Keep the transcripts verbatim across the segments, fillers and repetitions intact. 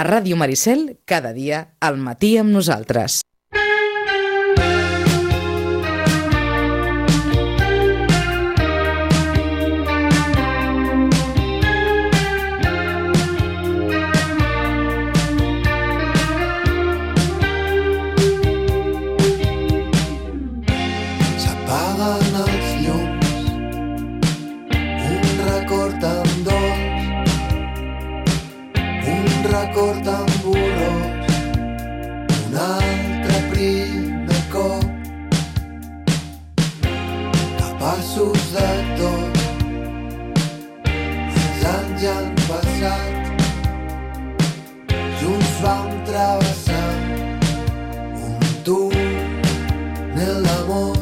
A Ràdio Maricel, cada dia, al matí amb nosaltres. S'apaguen els llums, un record amb dolç, un record amb borrós, un altre primer cop, capaços de tot. Els anys ja han passat, junts vam travessar un túnel d'amor.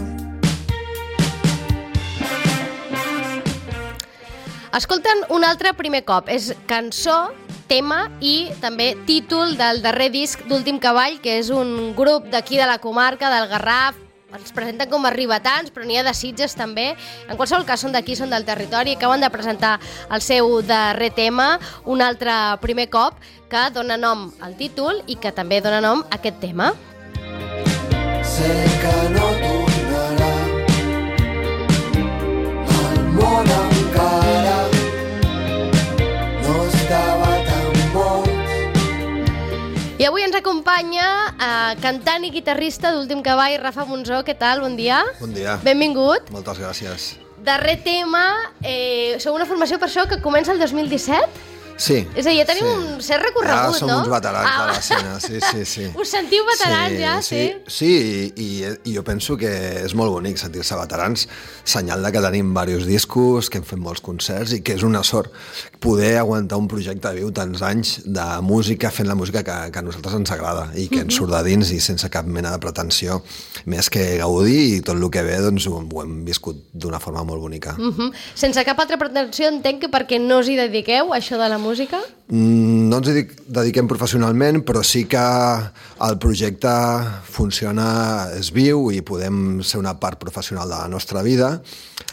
Escolten un altre primer cop. És cançó, tema i també títol del darrer disc d'Últim Cavall, que és un grup d'aquí de la comarca, del Garraf. Els presenten com a ribetans, però n'hi ha de Sitges també. En qualsevol cas, són d'aquí, són del territori. Acaben de presentar el seu darrer tema, un altre primer cop, que dona nom al títol i que també dona nom a aquest tema. Sé que no tornarà al món encara, no estava tan boig. I avui ens acompanya eh, cantant i guitarrista d'Últim Cavall, Rafa Monzó. Què tal? Bon dia. Bon dia. Benvingut. Moltes gràcies. Darrer tema, eh, sou una formació per això que comença el dos mil disset? Sí. És a dir, ja tenim sí. un cert recorregut, ja som no? uns veterans Ah. de l'escena, sí, sí, sí. Us sentiu veterans sí, ja, sí? Sí, sí i, i jo penso que és molt bonic sentir-se veterans, senyal de que tenim diversos discos, que hem fet molts concerts i que és una sort poder aguantar un projecte viu tants anys de música, fent la música que, que a nosaltres ens agrada i que ens surt de dins i sense cap mena de pretensió, més que gaudir, i tot el que ve doncs, ho, ho hem viscut d'una forma molt bonica. Uh -huh. Sense cap altra pretensió, entenc que perquè no us hi dediqueu, a això de la música? No ens hi dediquem professionalment, però sí que el projecte funciona, és viu i podem ser una part professional de la nostra vida.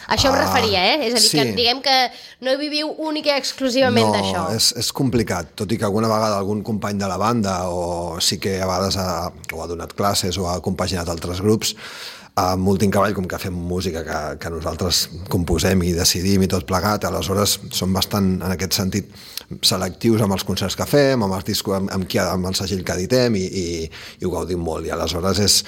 Això em Ah, referia, eh? És a dir, sí. que diguem que no viviu única i exclusivament no, d'això. No, és, és complicat, tot i que alguna vegada algun company de la banda o sí que a vegades ha, o ha donat classes o ha compaginat altres grups, amb Últim Cavall, com que fem música que, que nosaltres composem i decidim i tot plegat, aleshores som bastant, en aquest sentit, selectius amb els concerts que fem, amb els discos, amb, amb, qui, amb el segell que editem i, i, i ho gaudim molt. I aleshores és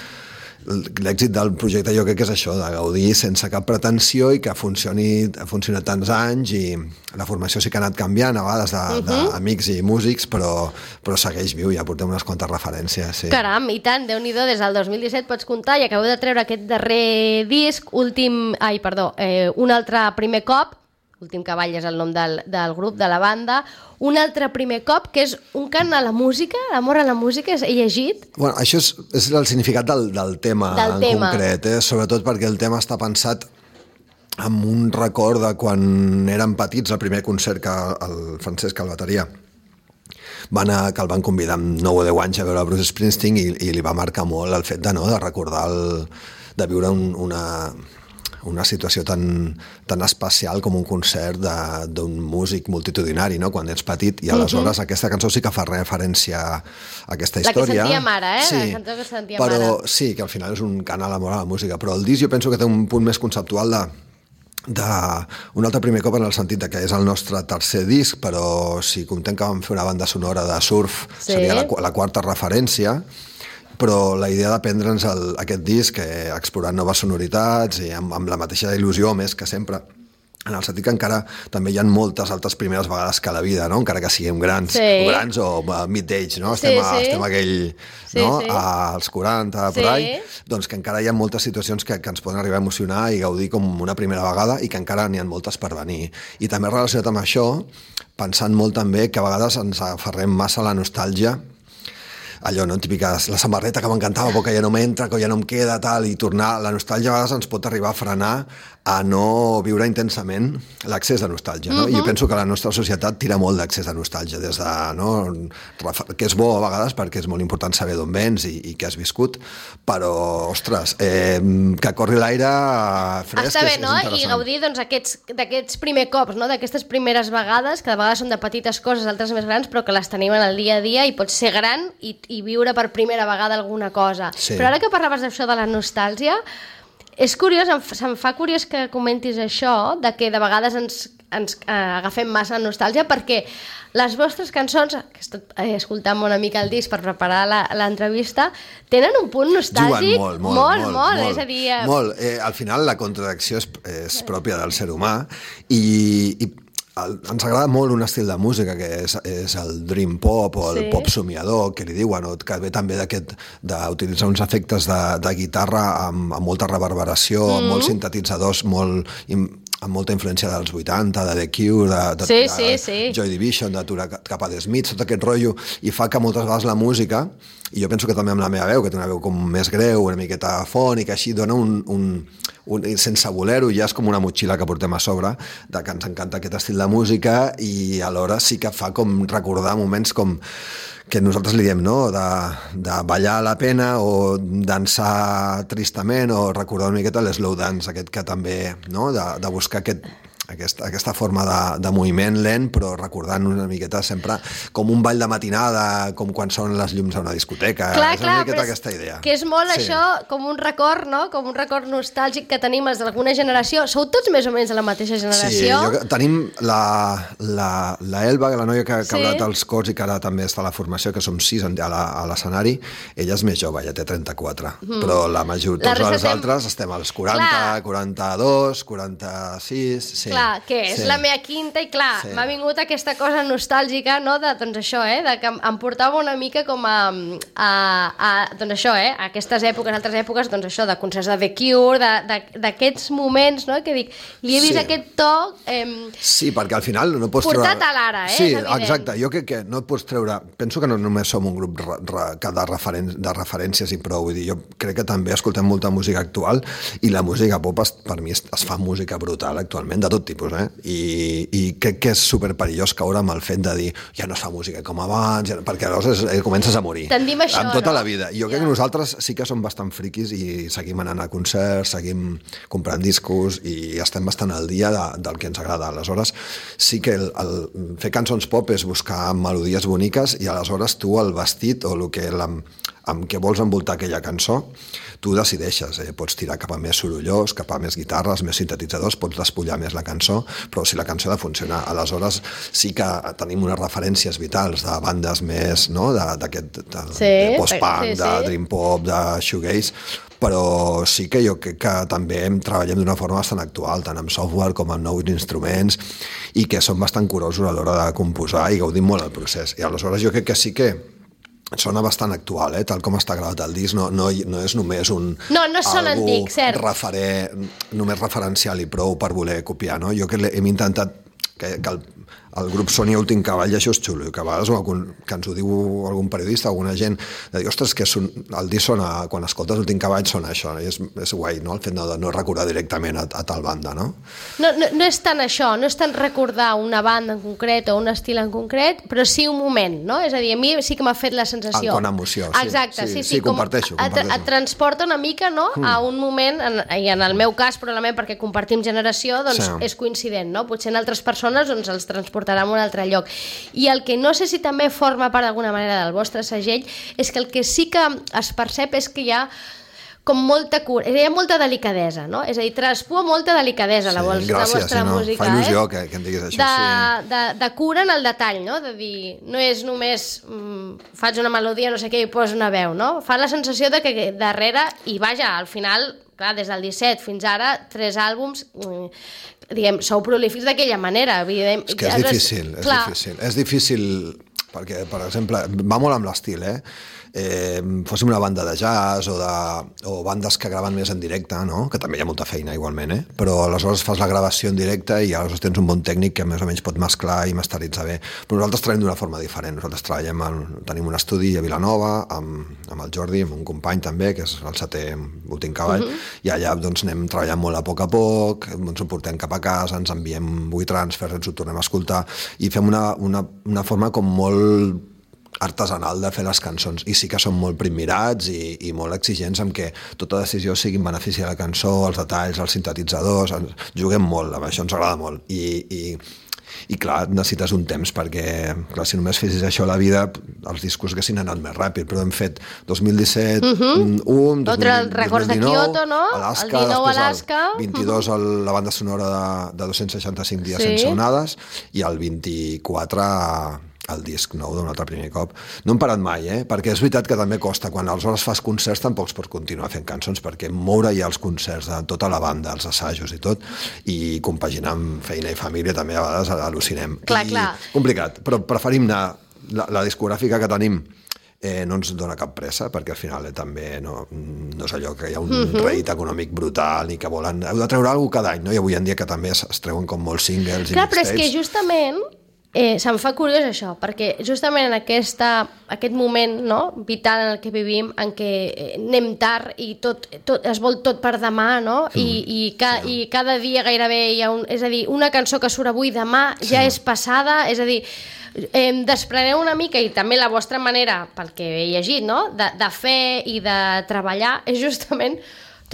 l'èxit del projecte, jo crec que és això, de gaudir sense cap pretensió i que funcioni, ha funcionat tants anys, i la formació sí que ha anat canviant a vegades d'amics i músics, però, però segueix viu, ja portem unes quantes referències. Sí. Caram, i tant, Déu-n'hi-do, des del dos mil disset pots comptar, i acabeu de treure aquest darrer disc, últim, ai, perdó, eh, un altre primer cop, Últim Cavall és el nom del, del grup, de la banda, un altre primer cop, que és un cant a la música, l'amor a la música, he llegit? Bueno, això és, és el significat del, del tema del en tema. concret, eh? Sobretot perquè el tema està pensat amb un record de quan érem petits, el primer concert que el Francesc, el bateria, va anar, que el van convidar amb nou o deu anys a veure Bruce Springsteen, i, i li va marcar molt el fet de, no, de recordar, el, de viure un, una... una situació tan, tan especial com un concert d'un músic multitudinari, no?, quan ets petit, i aleshores uh-huh. aquesta cançó sí que fa referència a aquesta història. La que sentíem ara, eh? Sí, la cançó que sentíem però ara. sí, que al final és un cant a l'amor a la música, però el disc jo penso que té un punt més conceptual de, de un altre primer cop, en el sentit de que és el nostre tercer disc, però si comptem que vam fer una banda sonora de surf, sí. seria la, la quarta referència, però la idea de prendre'ns el, aquest disc, eh, explorant noves sonoritats i amb, amb la mateixa il·lusió, més que sempre, en el sentit que encara també hi ha moltes altres primeres vegades que a la vida, no? Encara que siguem grans, sí. o grans o uh, mid-age, no? Estem, sí, sí. A, estem a aquell, sí, no? Sí. als quaranta, sí. per ahí, doncs que encara hi ha moltes situacions que, que ens poden arribar a emocionar i gaudir com una primera vegada, i que encara n'hi ha moltes per venir. I també relacionat amb això, pensant molt també que a vegades ens aferrem massa a la nostàlgia, allò, no? Típiques, la samarreta que m'encantava però que ja no m'entra, que ja no em queda, tal, i tornar... La nostàlgia a vegades ens pot arribar a frenar a no viure intensament l'accés de nostàlgia, no? Uh-huh. I jo penso que la nostra societat tira molt d'accés de nostàlgia, des de, no? Que és bo a vegades perquè és molt important saber d'on vens i, i què has viscut, però, ostres, eh, que corri l'aire fresc. Està bé, és, no? és I gaudir doncs, aquests, d'aquests primers cops, no? D'aquestes primeres vegades, que de vegades són de petites coses, altres més grans, però que les tenim en el dia a dia i pots ser gran i, i viure per primera vegada alguna cosa. Sí. Però ara que parlaves d'això de la nostàlgia, és curiós, em, se'm fa curiós que comentis això, de que de vegades ens, ens eh, agafem massa nostàlgia, perquè les vostres cançons, que he estat eh, escoltant una mica el disc per preparar la- l'entrevista, tenen un punt nostàlgic Juguen molt, molt, molt, molt, molt, molt, és a dir... eh, molt. Eh, al final la contradicció és, és pròpia del ser humà i, i el, ens agrada molt un estil de música que és, és el dream pop o el Sí. pop somiador, que li diuen, o que ve també d'aquest d'utilitzar uns efectes de, de guitarra amb, amb molta reverberació, mm. amb molts sintetitzadors, molt, im- amb molta influència dels vuitanta, de The Cure, de, de, Sí, de sí, sí. Joy Division, de Tura cap a The Smiths, tot aquest rotllo, i fa que moltes vegades la música, i jo penso que també amb la meva veu, que té una veu com més greu, una miqueta fònica, així dona un, un, un, sense voler-ho, ja és com una motxilla que portem a sobre, de que ens encanta aquest estil de música i alhora sí que fa com recordar moments com que nosaltres li diem, no?, de, de ballar a la pena o dansar tristament o recordar una miqueta l'slow dance, aquest que també, no?, de, de buscar aquest, aquesta, aquesta forma de, de moviment lent, però recordant una miqueta sempre com un ball de matinada, com quan sonen les llums a una discoteca. Clar, és una clar, miqueta però és, aquesta idea. que és molt Sí. això com un record, no? Com un record nostàlgic que tenim els d'alguna generació. Sou tots més o menys de la mateixa Sí, generació? jo, tenim la, la, la Elba, la noia que, que Sí. ha hablat els cors i que ara també està a la formació, que som sis a la- a l'escenari, ella és més jove, ja té trenta-quatre, mm. però la major, La tots resta els estem- altres estem als quaranta, Clar. quaranta-dos, quaranta-sis... Sí. Clar, que és sí. la meva quinta i clar, Sí. m'ha vingut aquesta cosa nostàlgica, no?, de, doncs això, eh, de que em, em portava una mica com a, a, a doncs això, eh, a aquestes èpoques, altres èpoques, doncs això, de concerts de The Cure, de- de- d'aquests moments, no?, que dic, li he vist Sí. aquest to... Eh, Sí, perquè al final no pots Portat treure... a l'ara, eh, Sí, és evident. exacte. Jo crec que no et pots treure... Penso que no només som un grup re, re, que de, referen de referències i prou. Vull dir, jo crec que també escoltem molta música actual i la música pop, es, per mi, es, es fa música brutal actualment, de tot tipus, eh? I, i crec que és superperillós caure amb el fet de dir ja no es fa música com abans, ja no, perquè aleshores eh, comences a morir. Tendim a això, amb tota no? la vida. I jo crec Ja. que nosaltres sí que som bastant friquis i seguim anant a concerts, seguim comprant discos i estem bastant al dia de, del que ens agrada. Aleshores, sí que el, el, fer cançons pop és buscar melodies boniques i aleshores tu el vestit o el que la, amb què vols envoltar aquella cançó, tu decideixes, eh? Pots tirar cap a més sorollós, cap a més guitarres, més sintetitzadors, pots despullar més la cançó, però si la cançó ha de funcionar, aleshores sí que tenim unes referències vitals de bandes més, no?, d'aquest de, Sí, de post-punk, sí, sí. de dream pop, de shoegaze, però sí que jo crec que també treballem d'una forma bastant actual, tant amb software com amb nous instruments, i que som bastant curosos a l'hora de composar i gaudim molt el procés. I aleshores jo crec que sí que sona bastant actual, eh? Tal com està gravat el disc, no, no, no és només un... No, no sona algú antic, cert. Referer, només referencial i prou per voler copiar, no? Jo que l'he- hem intentat que, que el, el grup soni Últim Cavall, i això és xulo, que a vegades algun, que ens ho diu algun periodista, alguna gent, de dir, ostres, que son, el disc sona, quan escoltes Últim Cavall sona això, i és, és guai, no?, el fet no, de no recordar directament a, a tal banda, no? No, no, no és tant això, no és tant recordar una banda en concret o un estil en concret, però sí un moment, no? És a dir, a mi sí que m'ha fet la sensació. Ah, con emoció, sí. Exacte, sí, Sí, sí. sí, com comparteixo, et, comparteixo. et transporta una mica, no?, mm. a un moment, en, i en el meu cas, probablement perquè compartim generació, doncs Sí. és coincident, no? Potser en altres persones doncs, els transportarà a un altre lloc. I el que no sé si també forma part d'alguna manera del vostre segell és que el que sí que es percep és que hi ha com molta cura, hi ha molta delicadesa, no? És a dir, traspua molta delicadesa la, vol, la gràcies, vostra sí, no? música. Fa il·lusió eh? que, que em diguis això, de, sí. de, de cura en el detall, no? De dir, no és només mm, faig una melodia, no sé què, i poso una veu, no? Fa la sensació de que darrere, i vaja, al final, clar, des del disset fins ara, tres àlbums, mm, diguem, sou prolífics d'aquella manera, evident. És que és difícil, és clar, difícil. És difícil perquè, per exemple, va molt amb l'estil, eh? eh? Fóssim una banda de jazz o, de, o bandes que graven més en directe, no? Que també hi ha molta feina igualment, eh? Però aleshores fas la gravació en directe i aleshores tens un bon tècnic que més o menys pot mesclar i masteritzar bé. Però nosaltres treballem d'una forma diferent. Nosaltres treballem, en, tenim un estudi a Vilanova amb, amb el Jordi, amb un company també, que és el setè últim cavall, uh-huh. i allà doncs, anem treballant molt a poc a poc, ens ho portem cap a casa, ens enviem WeTransfer, ens ho tornem a escoltar i fem una, una, una forma com molt artesanal de fer les cançons, i sí que són molt primmirats i, i molt exigents amb que tota decisió sigui en benefici de la cançó, els detalls, els sintetitzadors, juguem molt, amb això ens agrada molt, i, i, i clar, necessites un temps perquè, clar, si només fessis això a la vida, els discos haguessin anat més ràpid, però hem fet dos mil disset, uh-huh. un, dos mil dinou, records de Kyoto, no? Alaska, el dinou Alaska, el vint-i-dos el, la banda sonora de, de dos-cents seixanta-cinc dies sí. sense onades, i el vint-i-quatre el disc nou d'un altre primer cop. No hem parat mai, eh? Perquè és veritat que també costa. Quan aleshores fas concerts tampoc pots continuar fent cançons, perquè moure ja els concerts de tota la banda, els assajos i tot, i compaginar amb feina i família també a vegades al·lucinem. Clar, I clar. Complicat, però preferim anar... La, la discogràfica que tenim eh, no ens dona cap pressa, perquè al final eh, també no, no és allò que hi ha un uh-huh. rèdit econòmic brutal ni que volen... Heu de treure alguna cosa cada any, no? I avui en dia que també es, es treuen com molts singles clar, i però és que justament... Eh, se'm fa curiós això, perquè justament en aquesta, aquest moment, no, vital en el que vivim, en què anem tard i tot, tot, es vol tot per demà, no? Mm. I, i, ca, sí. i cada dia gairebé hi ha un... És a dir, una cançó que surt avui, demà sí. ja és passada, és a dir, eh, despreneu una mica, i també la vostra manera, pel que he llegit, no?, de, de fer i de treballar, és justament...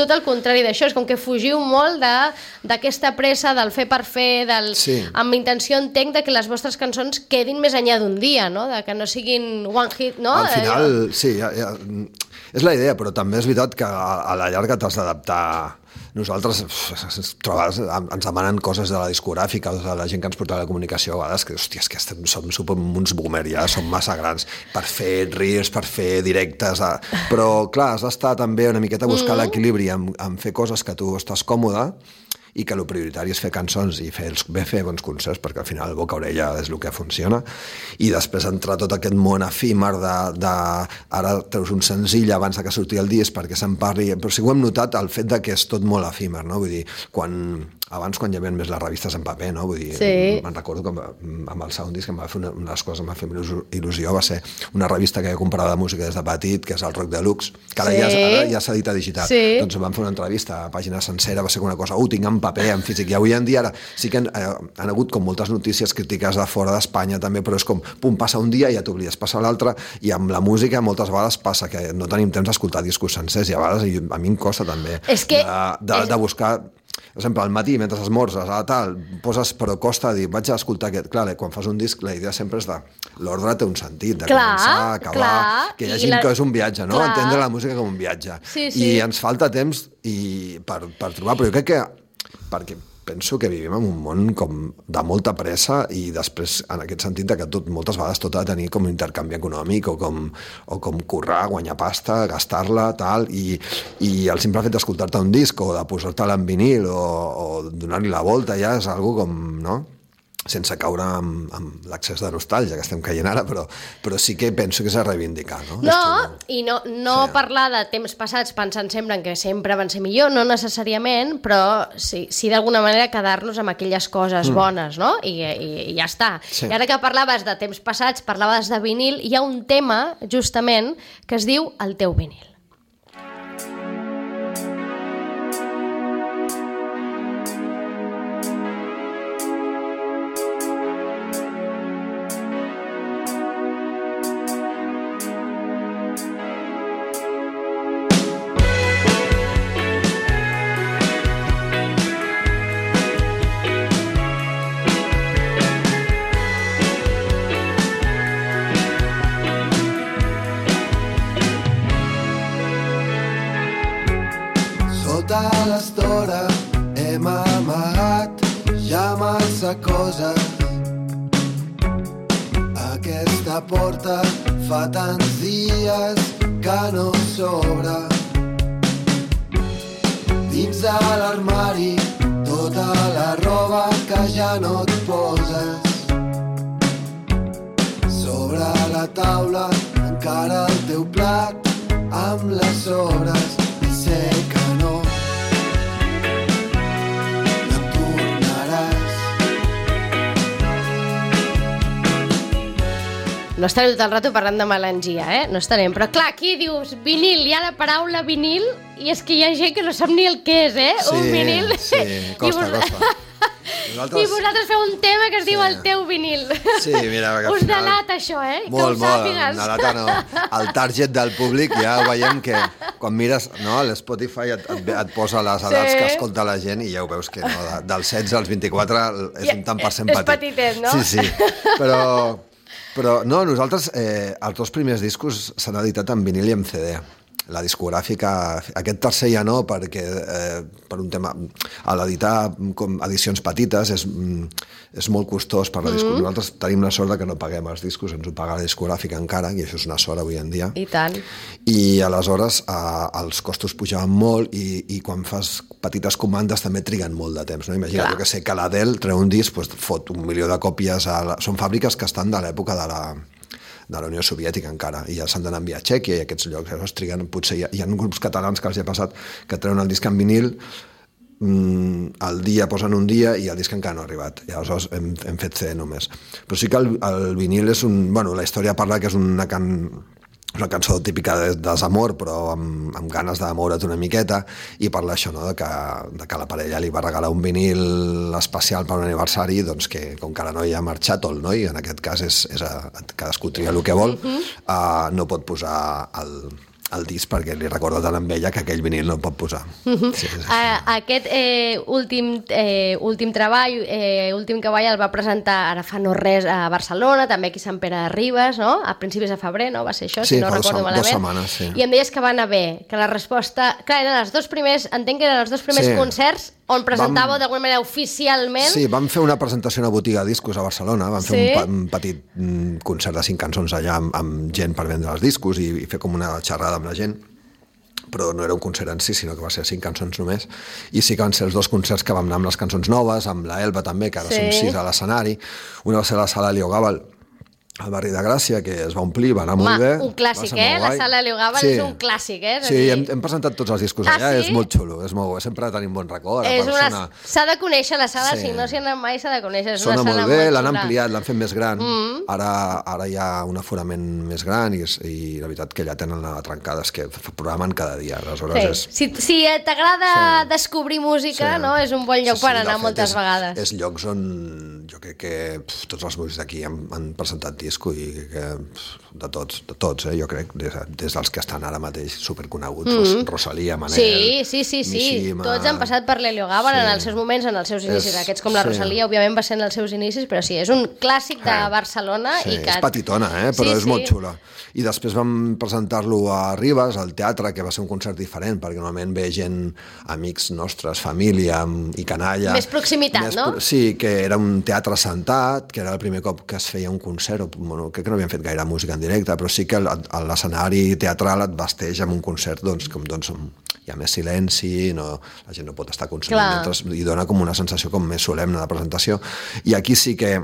tot el contrari d'això, és com que fugiu molt d'aquesta pressa del fer per fer, del, sí. amb intenció entenc de que les vostres cançons quedin més enllà d'un dia, no? De que no siguin one hit, no? Al final, sí, ja, ja, és la idea, però també és veritat que a, a la llarga t'has d'adaptar. Nosaltres trobes, ens demanen coses de la discogràfica o de la gent que ens porta a la comunicació a vegades que, hòstia, és que estem, som, som uns boomer ja, som massa grans per fer reels, per fer directes, a... però clar, has d'estar també una miqueta a buscar mm. l'equilibri en, en fer coses que tu estàs còmode i que el prioritari és fer cançons i fer, els, bé fer bons concerts, perquè al final boca orella és el que funciona, i després entrar tot aquest món efímer de, de ara treus un senzill abans que surti el disc perquè se'n parli, però sí ho hem notat el fet de que és tot molt efímer, no? Vull dir, quan abans quan hi havia més les revistes en paper, no? Vull dir, sí. me'n recordo que amb el Sound Disc em va fer una, una de les coses que em va fer il·lusió va ser una revista que jo comprava de música des de petit, que és el Rock Deluxe, que ara, sí. ja, ara ja s'ha dit a digital. Sí. Doncs em van fer una entrevista a pàgina sencera, va ser una cosa, ho uh, tinc en paper, en físic, i avui en dia ara sí que han, eh, han hagut com moltes notícies crítiques de fora d'Espanya també, però és com, pum, passa un dia i ja t'oblides, passa l'altre, i amb la música moltes vegades passa que no tenim temps d'escoltar discos sencers, i a vegades i a mi em costa també és que de, de, és... de buscar. Per exemple, al matí, mentre esmorzes, a tal, poses, però costa dir, vaig a escoltar aquest. Clar, quan fas un disc, la idea sempre és de... L'ordre té un sentit, de clar, començar, acabar... Clar, que hi hagi la... que és un viatge, no? Clar. Entendre la música com un viatge. Sí, sí. I ens falta temps i per, per trobar... Però jo crec que... Perquè penso que vivim en un món com de molta pressa i després, en aquest sentit, de que tot, moltes vegades tot ha de tenir com un intercanvi econòmic o com, o com currar, guanyar pasta, gastar-la, tal, i, i el simple fet d'escoltar-te un disc o de posar-te-la en vinil o, o donar-li la volta ja és algo com, no?, sense caure amb, amb l'accés de nostàlgia que estem caient ara, però, però sí que penso que és a reivindicar, no? No, i no, no sí. parlar de temps passats pensant sempre en que sempre van ser millor, no necessàriament, però sí, sí d'alguna manera quedar-nos amb aquelles coses mm. bones, no? I, i, i ja està. Sí. I ara que parlaves de temps passats, parlaves de vinil, hi ha un tema, justament, que es diu El teu vinil. Sota l'estora hem amagat ja massa coses. Aquesta porta fa tants dies que no s'obre. Dins de l'armari tota la roba que ja no et poses. Sobre la taula encara el teu plat amb les sobres i sé que no no tornaràs. No estarem tot el rato parlant de melangia, eh? No estarem. Però clar, aquí dius vinil, hi ha la paraula vinil i és que hi ha gent que no sap ni el que és, eh? Sí, un vinil. sí, costa, I vos... costa. Nosaltres... I vosaltres feu un tema que es diu Sí. el teu vinil. Sí, mira, que al Us final- delata això, eh? Molt, que ho molt, sàpigues. delata no. El target del públic ja ho veiem que quan mires, no, l'Spotify et, et, et posa les edats Sí. que escolta la gent i ja ho veus que no, de, dels setze als vint-i-quatre és Ja, un tant per cent és petit. petitet, no? Sí, sí, però, però no, nosaltres eh, els dos primers discos s'han editat en vinil i en C D. La discogràfica, aquest tercer ja no, perquè eh, per un tema, a l'editar com edicions petites és, és molt costós per la discogràfica. Mm. Nosaltres tenim la sort de que no paguem els discos, ens ho paga la discogràfica encara, i això és una sort avui en dia. I tant. I aleshores eh, els costos pujaven molt i, i quan fas petites comandes també triguen molt de temps. No? Imagina't, jo que sé, que l'Adele treu un disc, doncs fot un milió de còpies. A la... Són fàbriques que estan de l'època de la de la Unió Soviètica encara, i ja s'han d'anar a enviar a Txèquia i aquests llocs, llavors triguen, potser hi ha, hi ha grups catalans que els hi ha passat que treuen el disc en vinil, mm, el dia posen un dia i el disc encara no ha arribat, i aleshores hem, hem fet C D només. Però sí que el, el vinil és un... Bueno, la història parla que és una can... una cançó típica de desamor, però amb, amb ganes de moure't una miqueta, i parla això, no?, de que, de que la parella li va regalar un vinil especial per un aniversari, doncs que com que la noia ha marxat, o el noi, en aquest cas és, és a, cadascú tria el que vol, uh-huh. uh, no pot posar el, el disc perquè li recorda tant amb ella que aquell vinil no el pot posar. Uh-huh. Sí, sí, sí. Uh, aquest eh, últim, eh, últim treball, eh, últim cavall, el va presentar ara fa no res a Barcelona, també aquí a Sant Pere de Ribes, no? A principis de febrer, no? Va ser això, Sí, si no fa recordo dos, malament. dos setmanes, sí. I em deies que va anar bé, que la resposta... Clar, eren els dos primers, entenc que eren els dos primers Sí. concerts on presentàveu Vam- d'alguna manera oficialment. Sí, vam fer una presentació a una botiga de discos a Barcelona, vam fer Sí? un, pa- un petit mm, concert de cinc cançons allà amb, amb gent per vendre els discos i, i fer com una xerrada amb la gent, però no era un concert en si, sinó que va ser cinc cançons només, i sí que van ser els dos concerts que vam anar amb les cançons noves, amb la Elba també, que ara Sí. som sis a l'escenari, una va ser a la sala Leo Gàbal, al barri de Gràcia, que es va omplir, va anar Home, molt bé. un clàssic, va ser eh? molt La guai. sala Leo Gàbal és un clàssic, eh? És a Sí, dir- hem, hem presentat tots els discos Ah, allà, sí? és molt xulo, és molt bo, sempre tenim bon record. la És una... persona... S'ha de conèixer la sala, Sí. si no s'hi ha anat mai s'ha de conèixer. És Sona una sala molt bé, molt l'han xula. ampliat, l'han fet més gran. Mm. Ara, ara hi ha un aforament més gran i, és- i la veritat que ja tenen la trencada, és que f- programen cada dia, aleshores és... Sí. Si, si t'agrada Sí. descobrir música, Sí. no? És un bon lloc Sí, sí, per de anar fet, moltes és, vegades. És llocs on jo crec que pf, tots els músics d'aquí han, han presentat disco i que pf, de tots, de tots, eh, jo crec, des, des dels que estan ara mateix superconeguts, mm. Rosalia, Manel, Sí, sí, sí, sí. Mishima. Tots han passat per l'Helio Gàbal Sí. en els seus moments, en els seus inicis. És- Aquests com la sí. Rosalia, òbviament, va ser en els seus inicis, però sí, és un clàssic de Eh, Barcelona. Sí, i que... és petitona, eh? però Sí, és sí. molt xula. I després vam presentar-lo a Ribes, al teatre, que va ser un concert diferent, perquè normalment ve gent, amics nostres, família i canalla. Més proximitat, Més no? pro- Sí, que era un teatre sentat, que era el primer cop que es feia un concert, o, bueno, crec que no havien fet gaire música en directe, però sí que el- a l'escenari teatral et vesteix amb un concert doncs, com doncs, hi ha més silenci, no, la gent no pot estar consumint Clar. mentre, i dona com una sensació com més solemne de presentació. I aquí sí que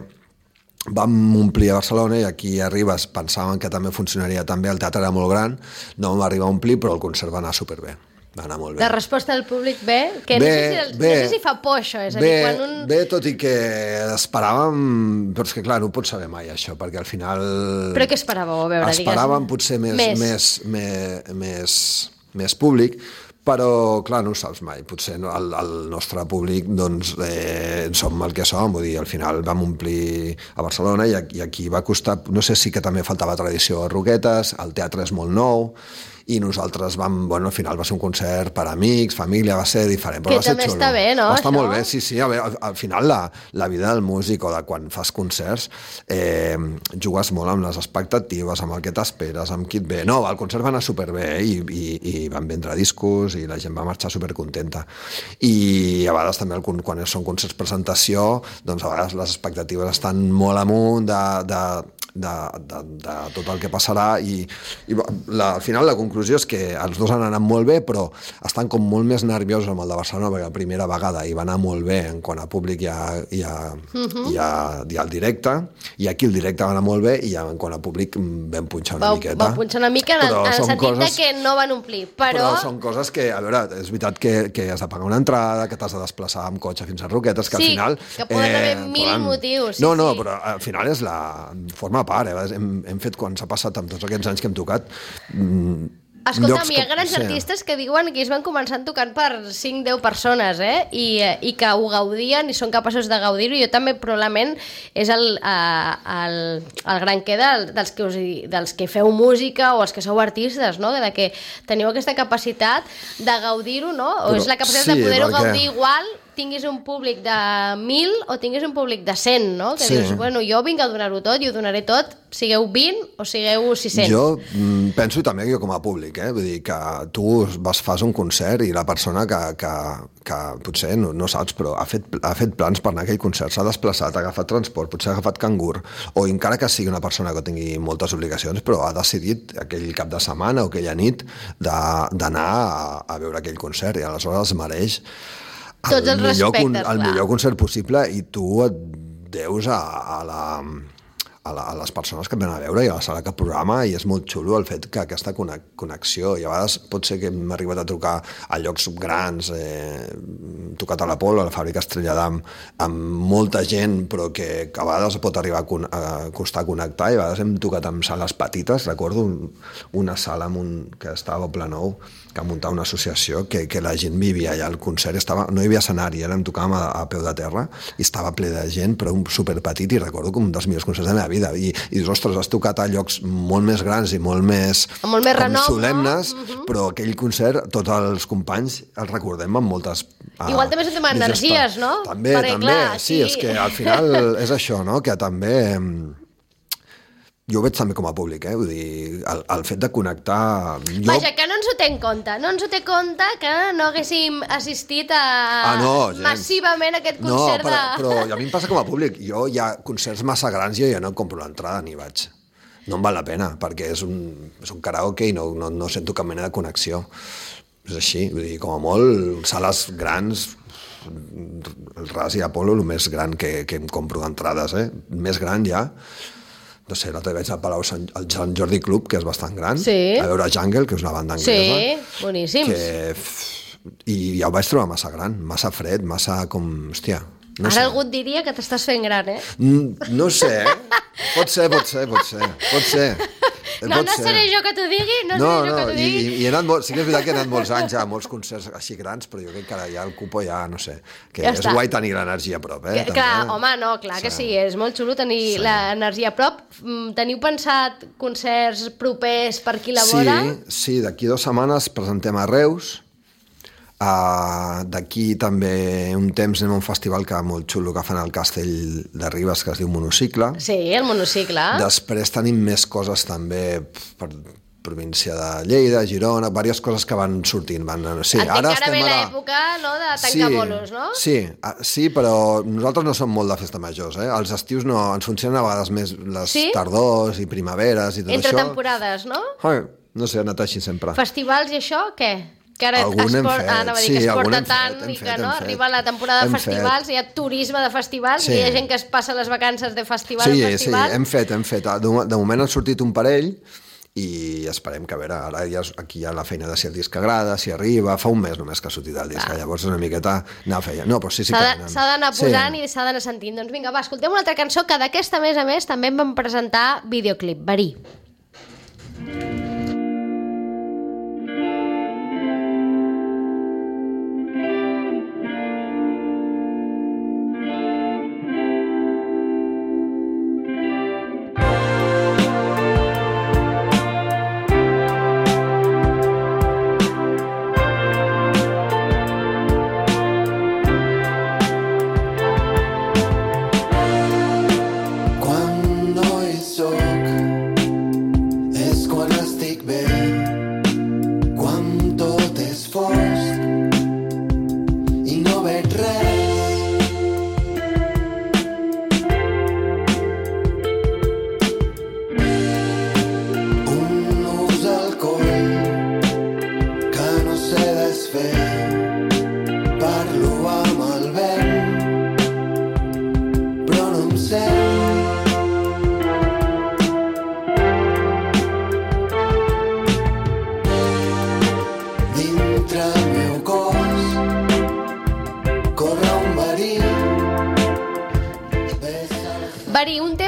vam omplir a Barcelona i aquí a Ribes pensàvem que també funcionaria tan bé, el teatre era molt gran, no vam arribar a omplir, però el concert va anar superbé, va anar molt bé. De resposta del públic bé, que Bé, no, sé si, bé. no sé si fa por això, és a Bé, dir, quan un... bé, tot i que esperàvem, però és que clar, no ho pots saber mai això, perquè al final... Però què esperàveu? A veure, Esperàvem digues. potser més, Més. més. Més, més, més públic, però clar, no ho saps mai, potser no, el, el nostre públic doncs eh, som el que som, vull dir, al final vam omplir a Barcelona i, i aquí va costar, no sé si que també faltava tradició a Roquetes, el teatre és molt nou i nosaltres vam, bueno, al final va ser un concert per amics, família, va ser diferent, però Que va ser també xulo. està bé, no, Va estar això? molt bé, sí, sí, a veure, al, al final la, la vida del músic o de quan fas concerts eh, jugues molt amb les expectatives, amb el que t'esperes, amb qui et ve. No, el concert va anar superbé eh, i, i, i van vendre discos i la gent va marxar supercontenta. I a vegades també el, quan són concerts presentació, doncs a vegades les expectatives estan molt amunt de, de, de, de, de tot el que passarà i, i la, al final la conclusió conclusió és que els dos han anat molt bé, però estan com molt més nerviosos amb el de Barcelona, perquè la primera vegada hi va anar molt bé en quant a públic i a, i a, uh-huh. i a, i al directe, i aquí el directe va anar molt bé i en quant a públic vam punxar una va, miqueta. Va punxar una mica en, en el sentit coses, que no van omplir, però... Però són coses que, a veure, és veritat que, que has de pagar una entrada, que t'has de desplaçar amb cotxe fins a Roquetes, que sí, al final... Sí, que poden haver eh, mil poden... motius. Sí, no, no, sí. però al final és la... forma part, eh? Hem, hem fet, quan s'ha passat amb tots aquests anys que hem tocat... Mmm, Escolta, hi ha que... grans sí. artistes que diuen que es van començar tocant per cinc deu persones, eh? I, i que ho gaudien i són capaços de gaudir-ho. Jo també, probablement, és el, el, el gran què del, dels, que us, dels que feu música o els que sou artistes, no? De que teniu aquesta capacitat de gaudir-ho, no? O Però, és la capacitat sí, de poder-ho perquè... gaudir igual, tinguis un públic de mil o tinguis un públic de cent, no? Que sí. dius, bueno, jo vinc a donar-ho tot i ho donaré tot, sigueu vint o sigueu sis-cents. Jo mm, penso també jo com a públic, eh? Vull dir que tu vas, fas un concert i la persona que, que, que potser no, no saps, però ha fet, ha fet plans per anar a aquell concert, s'ha desplaçat, ha agafat transport, potser ha agafat cangur, o encara que sigui una persona que tingui moltes obligacions, però ha decidit aquell cap de setmana o aquella nit d'anar a, a veure aquell concert i aleshores es mereix tots els respectes, el clar. millor concert possible i tu et deus a, a, la, a, la, a les persones que et venen a veure i a la sala que programa, i és molt xulo el fet que aquesta connexió, i a vegades pot ser que hem arribat a trucar a llocs grans, eh, tocat a l'Apolo, a la fàbrica Estrella d'Am, amb molta gent, però que, que a vegades pot arribar a, con, a costar connectar, i a vegades hem tocat amb sales petites. Recordo un, una sala amb un, que estava a Planou, que muntar una associació, que, que la gent vivia allà, el concert estava, no hi havia escenari, ara em tocàvem a, a peu de terra, i estava ple de gent, però un superpetit, i recordo com un dels millors concerts de la meva vida, i, i dius, ostres, has tocat a llocs molt més grans i molt més, molt més renom, solemnes, no? uh-huh. però aquell concert, tots els companys els recordem amb moltes... Uh, Igual també sentem energies, no? També, Perquè, també, clar, sí, aquí... és que al final és això, no?, que també... Jo ho veig també com a públic, eh? Vull dir, el, el fet de connectar... Jo... Vaja, que no ens ho té en compte. No ens ho té en compte que no haguéssim assistit a... ah, no, massivament a aquest concert no, però, de... però a mi em passa com a públic. Jo hi ha concerts massa grans i jo ja no compro l'entrada ni vaig. No em val la pena, perquè és un, és un karaoke i no, no, no sento cap mena de connexió. És així, vull dir, com a molt, sales grans... El Ras i Apolo, el més gran que, que em compro d'entrades, eh? Més gran ja... No sé, l'altre vaig al Palau Sant, al Sant Jordi Club, que és bastant gran, sí. a veure Jungle, que és una banda anglesa. Sí, boníssims. Que, I ja ho vaig trobar massa gran, massa fred, massa com... Hòstia, no Ara sé. algú et diria que t'estàs fent gran, eh? Mm, no sé, eh? Pot ser, pot ser, pot ser, pot ser. No, no seré jo que t'ho digui, no, no seré jo no, que t'ho digui. I, i he anat molt, sí que és veritat que he anat molts anys a molts concerts així grans, però jo crec que ara ja el cupo ja, no sé, que ja és està. guai tenir l'energia a prop, eh? Que, clar, home, no, clar sí. que sí, és molt xulo tenir sí. l'energia a prop. Teniu pensat concerts propers per aquí a la vora? Sí, sí, d'aquí dues setmanes presentem a Reus. Uh, d'aquí també un temps anem a un festival que molt xulo que fan al Castell de Ribes, que es diu Monocicle. Sí, el Monocicle. Després tenim més coses també per província de Lleida, Girona, diverses coses que van sortint. Van, sí, Entenc ara que ara ve ara... l'època, no?, de tancar sí, bolos, no? Sí, sí, però nosaltres no som molt de festa majors, eh? Els estius no, ens funcionen a vegades més les sí? tardors i primaveres i tot Entre això. Entre temporades, no? Ai, no sé, ha anat així sempre. Festivals i això, què? Que ara es, por... ah, no, sí, que es porta tant fet, i que fet, no? Arriba la temporada de festivals, fet. Hi ha turisme de festivals, sí. Hi ha gent que es passa les vacances de festival sí, a festival. Sí, hem fet, hem fet. De, de moment han sortit un parell i esperem que, a veure, ara ja, aquí hi ha la feina de si el disc agrada, si arriba, fa un mes només que ha sortit el disc, ah. Llavors una miqueta anar feia. No, però sí, sí que venen. S'ha d'anar posant sí. I s'ha d'anar sentint. Doncs vinga, va, escoltem una altra cançó que d'aquesta, a més a més, també em van presentar videoclip, Verí.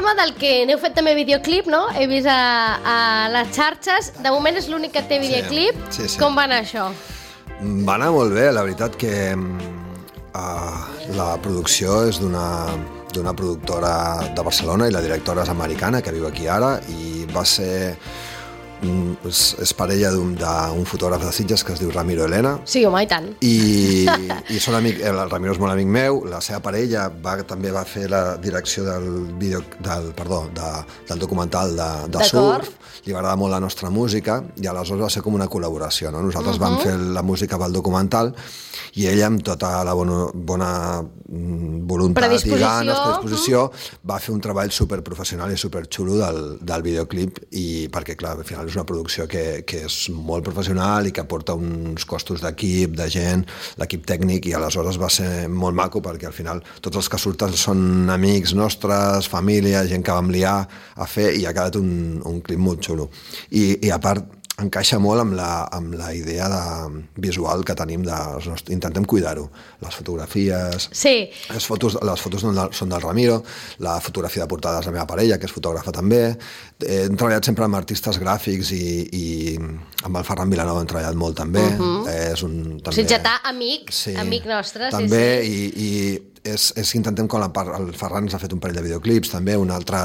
tema del que n'heu fet també videoclip, no? He vist a, a les xarxes. De moment és l'únic que té videoclip. Sí, sí, sí. Com va anar això? Va anar molt bé, la veritat que uh, la producció és d'una d'una productora de Barcelona i la directora és americana, que viu aquí ara, i va ser... És, és parella d'un d'un fotògraf de Sitges que es diu Ramiro Elena. Sí, home, i tant. I, i són amic, el Ramiro és molt amic meu, la seva parella va, també va fer la direcció del, vídeo, del, perdó, de, del documental de, de surf, li va agradar molt la nostra música i aleshores va ser com una col·laboració, no? Nosaltres uh-huh. vam fer la música pel documental i ella, amb tota la bona, bona voluntat i ganes, predisposició, uh-huh. va fer un treball superprofessional i superxulo del, del videoclip, i perquè, clar, al final és una producció que, que és molt professional i que aporta uns costos d'equip, de gent, l'equip tècnic, i aleshores va ser molt maco perquè al final tots els que surten són amics nostres, família, gent que vam liar a fer, i ha quedat un, un clip molt xulo. I, i a part, encaixa molt amb la, amb la idea de visual que tenim, de, intentem cuidar-ho. Les fotografies... Sí. Les fotos, les fotos són del Ramiro, la fotografia de portada és la meva parella, que és fotògrafa també. Hem treballat sempre amb artistes gràfics i, i amb el Ferran Vilanova hem treballat molt també. Uh-huh. És un... També, Sitgetà, amic, sí, amic nostre. També, sí, sí. i, i és, és que intentem, com la part, el Ferran ens ha fet un parell de videoclips, també, un altre...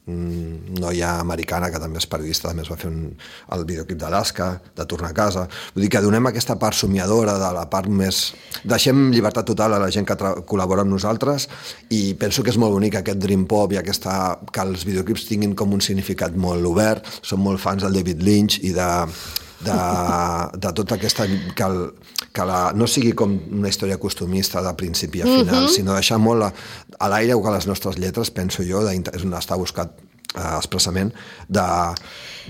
noia americana que també és periodista, també es va fer un, el videoclip d'Alaska, de Tornar a casa. Vull dir que donem aquesta part somiadora de la part més... Deixem llibertat total a la gent que col·labora amb nosaltres, i penso que és molt bonic aquest dream pop i aquesta... que els videoclips tinguin com un significat molt obert. Som molt fans del David Lynch i de... de, de tota aquesta... que, el, que la, no sigui com una història costumista de principi a final, uh-huh. sinó deixar molt a, a l'aire que les nostres lletres, penso jo, de, és on està buscat eh, expressament, de,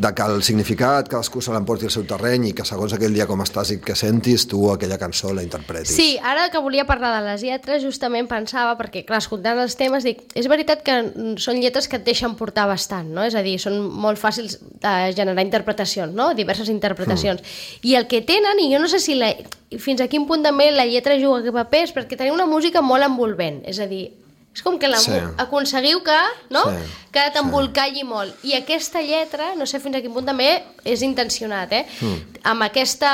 de que el significat cadascú se l'emporti al seu terreny i que segons aquell dia com estàs i que sentis, tu aquella cançó la interpretis. Sí, ara que volia parlar de les lletres, justament pensava, perquè clar, escoltant els temes, dic, és veritat que són lletres que et deixen portar bastant, no? És a dir, són molt fàcils de generar interpretacions, no? Diverses interpretacions. Mm. I el que tenen, i jo no sé si la, fins a quin punt també la lletra juga a papers, perquè teniu una música molt envolvent, és a dir, és com que la, sí. aconseguiu que, no? Sí. que t'embolcalli sí. molt. I aquesta lletra, no sé fins a quin punt també és intencionat, eh? Mm. Amb aquesta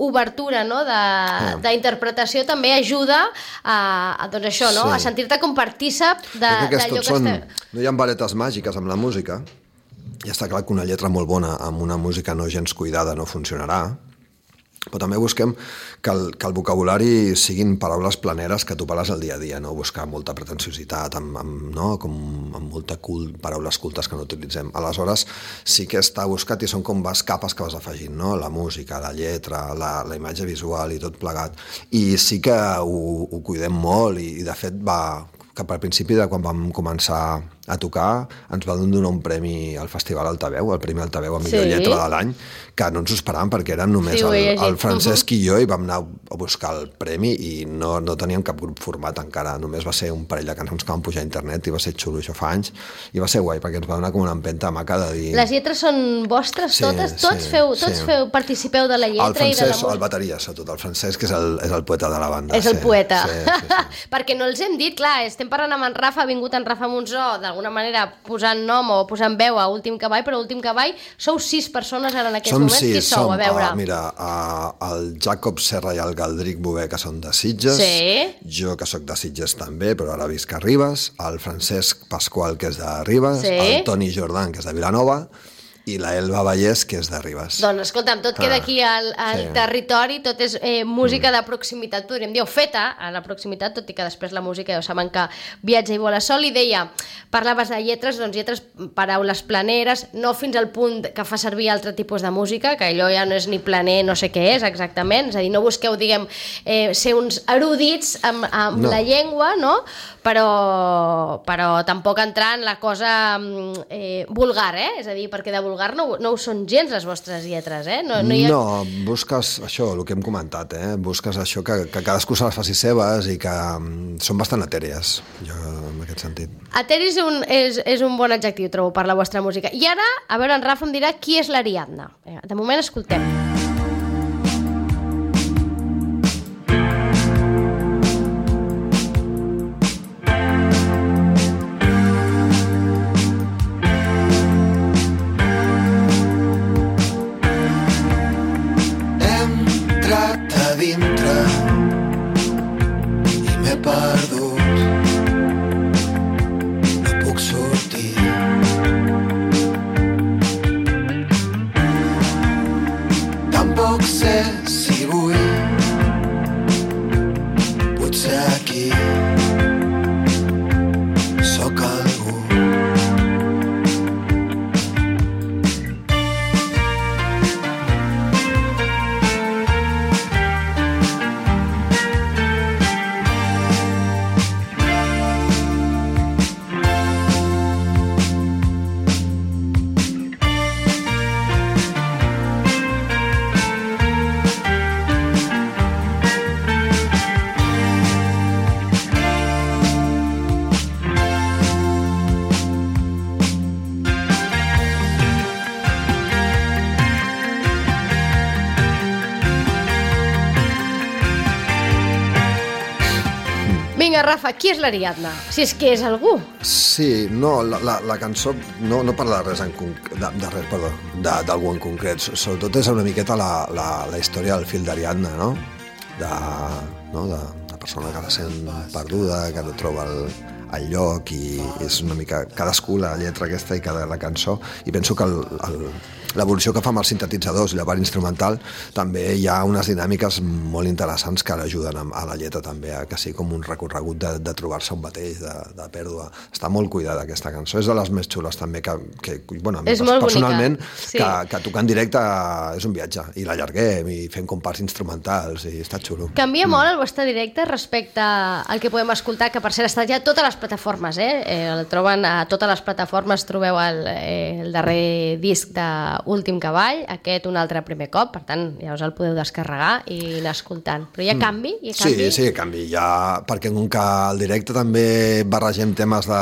obertura, no? de, mm. d'interpretació també ajuda a, a doncs això, no? Sí. a sentir-te com partícip d'allò que, que són, està... No hi ha varetes màgiques amb la música, i està clar que una lletra molt bona amb una música no gens cuidada no funcionarà, però també busquem que el, que el vocabulari siguin paraules planeres que tu parles al dia a dia, no buscar molta pretensiositat, amb, amb, no? com, amb molta cult, paraules cultes que no utilitzem. Aleshores sí que està buscat i són com les capes que vas afegint, no? La música, la lletra, la, la imatge visual i tot plegat. I sí que ho, ho cuidem molt, i, i de fet va... cap al principi de quan vam començar a tocar ens va donar un premi al Festival Altaveu, el Premi Altaveu a millor sí. lletra de l'any, que no ens ho esperàvem perquè eren només sí, el, el Francesc uh-huh. i jo, i vam anar a buscar el premi i no, no teníem cap grup format encara, només va ser un parell de cançons que van pujar a internet i va ser xulo, això fa anys, i va ser guai perquè ens va donar com una empenta maca de dir... Les lletres són vostres sí, totes? Tots, sí, feu, tots sí. feu, participeu de la lletra el Francesc, i de la música? El bateria, sobretot, el Francesc és el, és el poeta de la banda. És el sí, poeta. Sí, sí, sí. Perquè no els hem dit, clar, estem parlant amb en Rafa, ha vingut en Rafa Monzó, d'alguna manera posant nom o posant veu a Últim Cavall, però Últim Cavall sou sis persones ara en aquests som moments. Sis, qui sou, som, a veure? Uh, mira, uh, el Jacob Serra i el Galdric Bové, que són de Sitges, sí. jo que sóc de Sitges també, però ara visc a Ribes, el Francesc Pasqual, que és de Ribes, sí. el Toni Jordan, que és de Vilanova, i la Elba Vallès, que és de Ribes. Doncs escolta'm, tot queda aquí al, al sí. territori, tot és eh, música mm. de proximitat, podríem dir, o feta a la proximitat, tot i que després la música ja ho saben que viatja i vola sol. I deia, parlaves de lletres, doncs lletres, paraules planeres, no fins al punt que fa servir altre tipus de música, que allò ja no és ni planer, no sé què és exactament, és a dir, no busqueu, diguem, eh, ser uns erudits amb, amb no. la llengua, no? Però, però tampoc entrar en la cosa eh, vulgar, eh? És a dir, perquè de vulgar no, no ho són gens les vostres lletres, eh? No, no, ha... no, busques això, el que hem comentat, eh? Busques això, que, que cadascú se les faci seves i que um, són bastant etèries, jo, en aquest sentit. Eteri és un, és, és un bon adjectiu, trobo, per la vostra música. I ara, a veure, en Rafa em dirà qui és l'Ariadna. De moment, escoltem. dintre i m'he perdut. No puc sortir. Tampoc sé si vull. Potser aquí sóc algú. Vinga, Rafa, qui és l'Ariadna? Si és que és algú. Sí, no, la, la, la cançó no, no parla de res en conc... de, de res, perdó, d'algú en concret. Sobretot és una miqueta la, la, la història del fill d'Ariadna, no? De, no? de, de persona que la sent perduda, que no troba el, el lloc, i és una mica cadascú la lletra aquesta i cada la cançó, i penso que el, el, l'evolució que fa amb els sintetitzadors i la part instrumental també hi ha unes dinàmiques molt interessants que l'ajuden a la lletra també, a que sigui com un recorregut de, de trobar-se un mateix, de, de pèrdua. Està molt cuidada aquesta cançó, és de les més xules també, que, que bueno, a mi és molt personalment sí. que, que tocar en directe és un viatge, i l'allarguem i fem com parts instrumentals i està xulo. Canvia mm. molt el vostre directe respecte al que podem escoltar, que per cert està ja a totes les plataformes, eh? eh el troben a totes les plataformes, trobeu el, eh, el darrer disc de Últim Cavall, aquest un altre primer cop, per tant ja us el podeu descarregar i anar escoltant. Però hi ha canvi? Hi ha canvi? Sí, sí, canvi. Ja, perquè com que al directe també barregem temes de,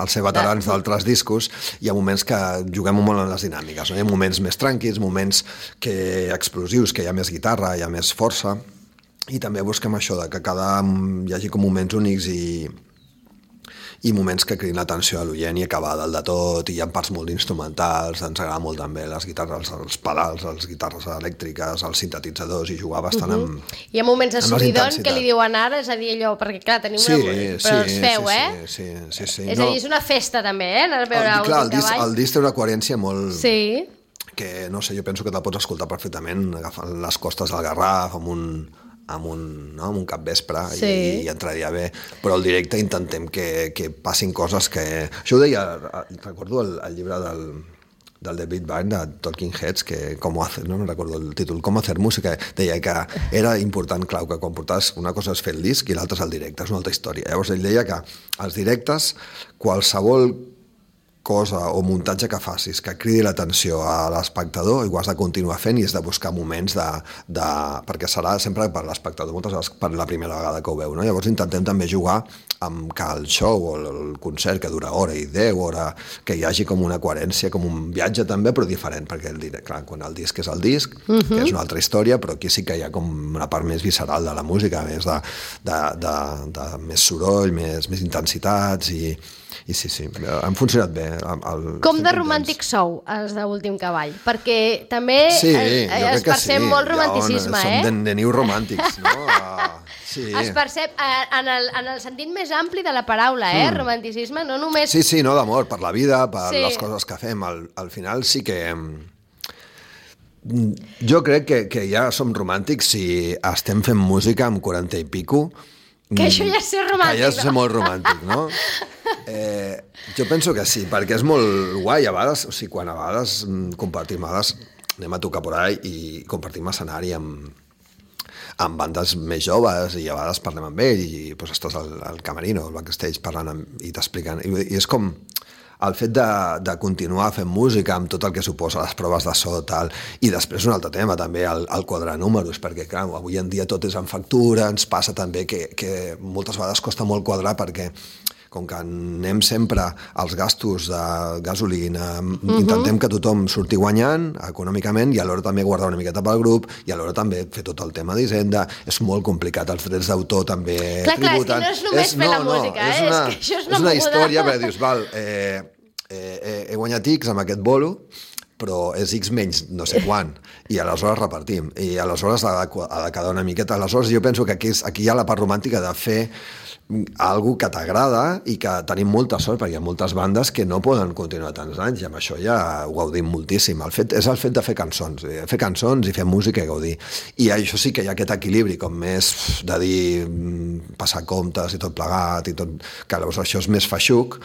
els ser veterans de... d'altres discos, hi ha moments que juguem molt en les dinàmiques, no? Hi ha moments més tranquils, moments que explosius, que hi ha més guitarra, hi ha més força, i també busquem això, de que cada hi hagi com moments únics i i moments que cridin l'atenció a l'oient i acabar dalt de tot, i hi ha parts molt instrumentals, ens agrada molt també les guitarres, els pedals, les guitarres elèctriques, els sintetitzadors, i jugar bastant amb... Uh -huh. Hi ha moments de subidon que li diuen ara, és a dir, allò, perquè clar, tenim sí, una... Però sí, els feu, sí, eh? Sí, sí, sí, sí. És no. a dir, és una festa també, eh? Anar a veure el, clar, el disc, Cavall. el disc té una coherència molt... Sí. Que, no sé, jo penso que te'l pots escoltar perfectament agafant les costes del Garraf amb un... amb un, no? amb un capvespre, sí. i, i entraria bé, però al directe intentem que, que passin coses que... Això ho deia, recordo el, el llibre del, del David Byrne, de Talking Heads, que com hacer, no, no recordo el títol, com hacer música, deia que era important, clau, que quan portaves una cosa és fer el disc i l'altra és el directe, és una altra història. Llavors ell deia que als directes qualsevol cosa o muntatge que facis que cridi l'atenció a l'espectador i ho has de continuar fent, i has de buscar moments de, de, perquè serà sempre per l'espectador, moltes vegades per la primera vegada que ho veu, no? Llavors intentem també jugar amb que el show o el concert, que dura hora i deu hora, que hi hagi com una coherència, com un viatge també, però diferent, perquè el, clar, quan el disc és el disc, uh-huh. que és una altra història, però aquí sí que hi ha com una part més visceral de la música, més de, de, de, de, de més soroll, més, més intensitats, i I sí, sí, han funcionat bé. El, Com de romàntic sou, els d'Últim Cavall? Perquè també sí, es, es percep sí. molt romanticisme, ja, eh? Som de, de nius romàntics, no? Uh, sí. Es percep en el, en el sentit més ampli de la paraula, eh? Mm. Romanticisme, no només... Sí, sí, no, d'amor, per la vida, per sí. les coses que fem. Al, al final sí que... Jo crec que, que ja som romàntics si estem fent música amb quaranta i pico. Que això ja és ser romàntic, que ja és ser molt romàntic, no? Eh, jo penso que sí, perquè és molt guai a vegades, o sigui, quan a vegades compartim, a vegades anem a tocar por ahí i compartim escenari amb, amb bandes més joves, i a vegades parlem amb ells i pues, estàs al, al camerino, al backstage parlant amb, i t'expliquen, i, i és com el fet de, de continuar fent música amb tot el que suposa les proves de so, tal, i després un altre tema també, el, el quadrar números, perquè clar, avui en dia tot és en factura, ens passa també que, que moltes vegades costa molt quadrar, perquè com que anem sempre als gastos de gasolina, uh-huh. intentem que tothom surti guanyant econòmicament, i alhora també guardar una miqueta pel grup, i alhora també fer tot el tema d'Hisenda. És molt complicat, els drets d'autor també clar, tributen. Clar, és que no és només és, fer no, la música, no, eh? és, una, és que això és una, és una moguda. història, perquè dius, val, eh, eh, he guanyat X amb aquest bolo, però és X menys no sé quan, i aleshores repartim, i aleshores ha de, ha de quedar una miqueta. Aleshores jo penso que aquí, és, aquí hi ha la part romàntica de fer algo que t'agrada i que tenim molta sort, perquè hi ha moltes bandes que no poden continuar tants anys, i amb això ja ho gaudim moltíssim. El fet, és el fet de fer cançons, fer cançons i fer música i gaudir. I això sí que hi ha aquest equilibri, com més de dir passar comptes i tot plegat, i tot, que llavors això és més feixuc,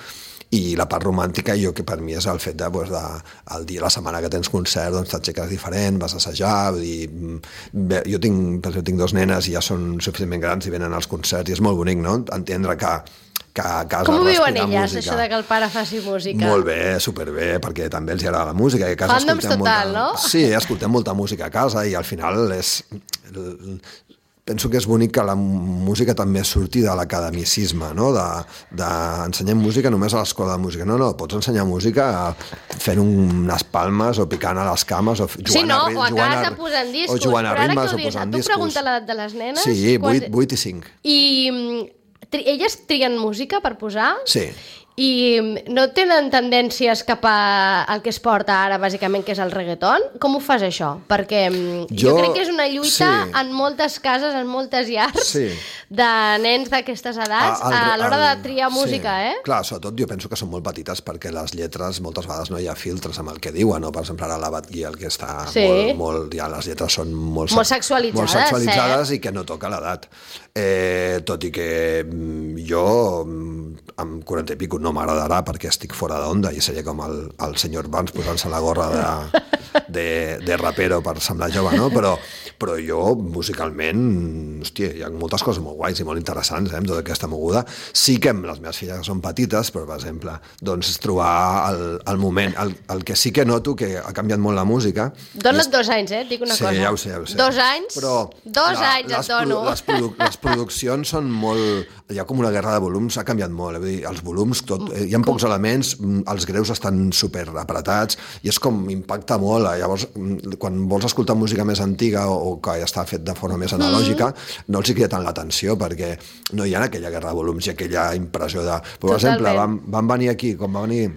i la part romàntica jo que per mi és el fet de, doncs, de el dia, la setmana que tens concert, doncs t'aixeques diferent, vas a assajar, vull dir, bé, jo tinc, jo tinc dos nenes i ja són suficientment grans i venen als concerts i és molt bonic, no?, entendre que que a casa com ho viuen elles, música. això de que el pare faci música? Molt bé, superbé, perquè també els agrada la música. I a casa Fandoms total, molta... no? Sí, escoltem molta música a casa i al final és... Penso que és bonic que la música també surti de l'academicisme, no? D'ensenyar de, música només a l'escola de música. No, no, pots ensenyar música fent unes palmes o picant a les cames o jugant sí, no, a ritmes. o a casa posant discos. O jugant a ritmes o posant discos. Tu pregunta l'edat de les nenes? Sí, quan... vuit i cinc. I tri elles trien música per posar? Sí. I no tenen tendències cap al que es porta ara, bàsicament, que és el reggaeton? Com ho fas, això? Perquè jo, jo crec que és una lluita sí. en moltes cases, en moltes llars, sí. de nens d'aquestes edats, a, a l'hora de triar música, sí. eh? Clar, sobretot jo penso que són molt petites perquè les lletres moltes vegades no hi ha filtres amb el que diuen, no? Per exemple, ara la Batguia, el que està sí. molt, molt... Ja les lletres són molt, molt sexualitzades, molt sexualitzades eh? i que no toca l'edat. Eh, tot i que jo, amb quaranta i pico, no m'agradarà perquè estic fora d'onda i seria com el, el senyor Vance posant-se la gorra de, de, de rapero per semblar jove, no? Però, però jo, musicalment, hòstia, hi ha moltes coses molt guais i molt interessants, eh, amb tota aquesta moguda. Sí que amb les meves filles que són petites, però, per exemple, doncs trobar el, el moment, el, el que sí que noto que ha canviat molt la música... Dona't és... dos anys, eh? Et dic una sí, cosa. Ja ho sé, ja ho sé. Dos anys? Però dos la, anys et dono. Les, produ les produccions són molt... Hi ha com una guerra de volums, ha canviat molt. Vull dir, els volums, tot, hi ha pocs elements, els greus estan super apretats i és com impacta molt. Llavors, quan vols escoltar música més antiga o, o que ja està fet de forma més analògica, mm. no els hi crida tant l'atenció perquè no hi ha aquella guerra de volums i aquella impressió de... Per Totalment. exemple, van, van venir aquí, com va venir...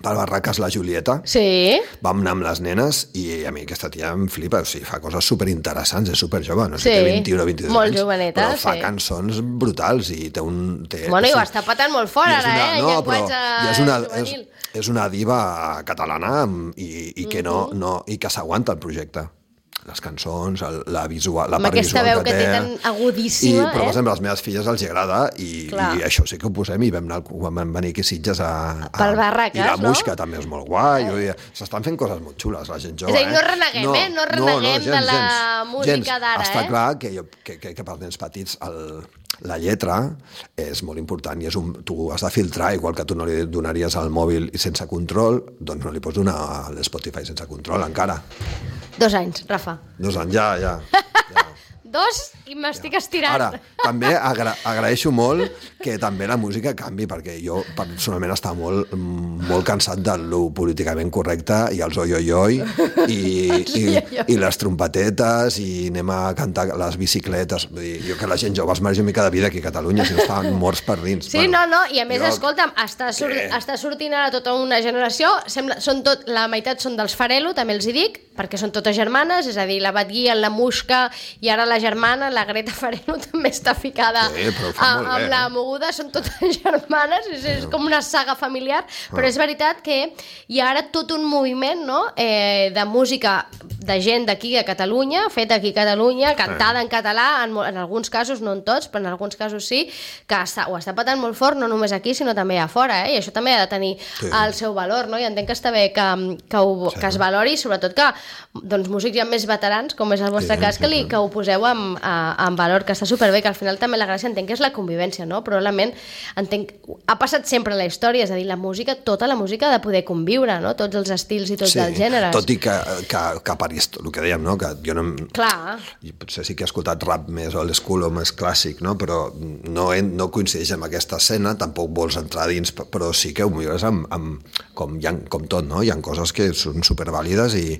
per Barraques la Julieta, sí. vam anar amb les nenes i a mi aquesta tia em flipa, o sigui, fa coses superinteressants, és superjove, no sé, sí. té vint-i-un o vint-i-dos molt anys, joveneta, però fa sí. cançons brutals i té un... Té, bueno, i ho sí, està patant molt fort ara, eh? No, però és una, és, és una diva catalana i, i que no, no, i que s'aguanta el projecte. Les cançons, el, la visual, la part visual veu que, que té. Tan agudíssima, I, però, per eh? exemple, a les meves filles els agrada i, i això sí que ho posem i vam, anar, vam venir aquí a Sitges a... a per Barraques, i la no? Muixca també és molt guai. Eh? S'estan fent coses molt xules, la gent jove. És a dir, no eh? reneguem, no, eh? No reneguem no, no, gens, de la gens, música gens. d'ara, Està eh? clar que, jo, que, que, que pels nens petits el, la lletra és molt important i és un, tu has de filtrar, igual que tu no li donaries al mòbil sense control, doncs no li pots donar a l'Spotify sense control encara. Dos anys, Rafa. Dos anys, ja, ja. ja. Dos i m'estic ja. estirant. Ara, també agra agraeixo molt que també la música canvi, perquè jo personalment estava molt, molt cansat de lo políticament correcte i els oi-oi-oi i, i, i les trompetetes i anem a cantar les bicicletes. Vull dir, jo que la gent jove es mereix una mica de vida aquí a Catalunya, si no estaven morts per dins. Sí, bueno, no, no, i a més, jo... escolta'm, està, sur està sortint ara tota una generació, sembla, són tot, la meitat són dels Farelo, també els hi dic, perquè són totes germanes, és a dir, la Batguia, la Muixca i ara la germana, la Greta Farelo també està ficada sí, a, amb bé, la moguda, són totes germanes, és, és com una saga familiar, però és veritat que hi ha ara tot un moviment, no?, eh, de música de gent d'aquí a Catalunya, feta aquí a Catalunya, cantada en català, en, en alguns casos, no en tots, però en alguns casos sí, que està, ho està patant molt fort, no només aquí, sinó també a fora, eh? I això també ha de tenir sí. el seu valor, no? I entenc que està bé que, que, ho, sí. que es valori, sobretot que doncs, músics ja més veterans, com és el vostre sí, cas, que, li, que ho poseu en, en valor, que està superbé, que al final també la gràcia entenc que és la convivència, no? Probablement entenc, ha passat sempre a la història, és a dir, la música, tota la música ha de poder conviure, no? Tots els estils i tots sí, els gèneres. Tot i que, que, que per el que dèiem, no? Que jo no... Clar. Potser sí que he escoltat rap més old school o més clàssic, no? Però no, no coincideix amb aquesta escena, tampoc vols entrar dins, però sí que ho millores amb, amb com, hi ha, com tot, no? Hi ha coses que són supervàlides i,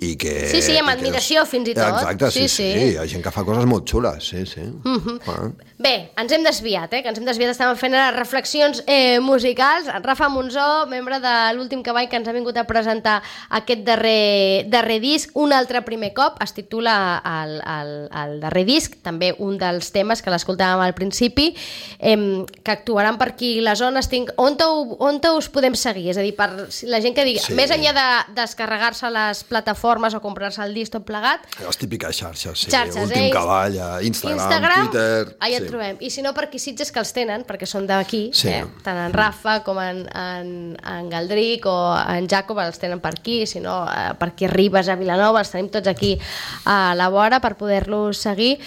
i que... Sí, sí, amb admiració que és... fins i tot. Exacte, sí, sí, sí, sí. Hi ha gent que fa coses molt xules, sí, sí. Mm-hmm. Ah. Bé, ens hem desviat, eh? Que ens hem desviat, estàvem fent ara reflexions eh, musicals. Rafa Monzó, membre de l'Últim Cavall, que ens ha vingut a presentar aquest darrer, darrer disc, un altre primer cop, es titula el, el, el darrer disc, també un dels temes que l'escoltàvem al principi, eh, que actuaran per aquí les zones. Tinc... On, te, on te us podem seguir? És a dir, per la gent que digui, sí. Més enllà de descarregar-se les plataformes o comprar-se el disc tot plegat... Les típiques xarxes, sí. Xarxes, Últim eh? Cavall, Instagram, Instagram, Twitter... Allà sí. et trobem. I si no, per aquí Sitges, que els tenen, perquè són d'aquí, sí. eh? Tant en Rafa com en, en, en Galdric o en Jacob els tenen per aquí, si no, eh, per aquí a Ribes, a Vilanova, els tenim tots aquí a la vora per poder-los seguir.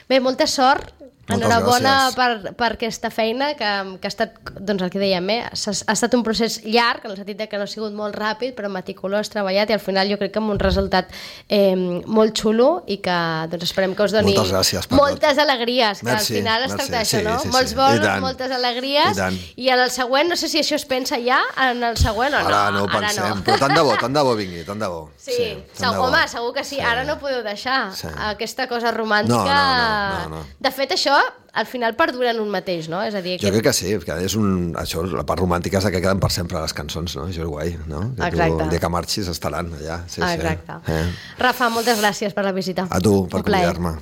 Bé, molta sort. Moltes Enhorabona gràcies. per, per aquesta feina que, que ha estat, doncs el que dèiem, eh? ha, ha estat un procés llarg, en el sentit que no ha sigut molt ràpid, però meticulós, treballat, i al final jo crec que amb un resultat eh, molt xulo i que doncs esperem que us doni moltes alegries, que merci, al final es tracta d'això, sí, no? Sí, Molts sí. bolos, moltes alegries, i, i en el següent, no sé si això es pensa ja en el següent o no. Ara no ho pensem, no. Però tant de bo, tant de bo vingui, tant de bo. Sí, sí segur, bo. Home, segur que sí, sí. Ara no podeu deixar sí. aquesta cosa romàntica. No, no, no, no, no. De fet, això al final perdura en un mateix, no? És a dir, jo crec que sí, que és un... Això, la part romàntica és que queden per sempre les cançons, no? Això és guai, no? Que exacte. Tu, el dia que marxis estaran allà. Sí, exacte. Sí. Eh? Rafa, moltes gràcies per la visita. A tu, per convidar-me.